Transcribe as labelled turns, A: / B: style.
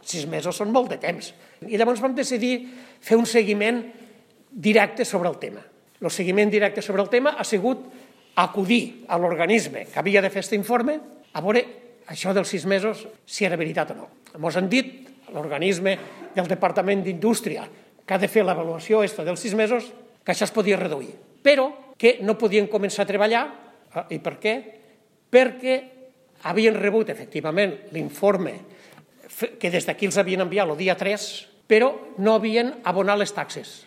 A: 6 mesos són molt de temps. I llavors vam decidir fer un seguiment directe sobre el tema. El seguiment directe sobre el tema ha sigut acudir a l'organisme que havia de fer aquest informe a veure això dels 6 mesos si era veritat o no. Ens han dit, l'organisme del Departament d'Indústria, que ha de fer l'avaluació dels 6 mesos, que això es podia reduir, però que no podien començar a treballar. I per què? Perquè havien rebut, efectivament, l'informe que des d'aquí els havien enviat el dia 3, però no havien abonat les taxes.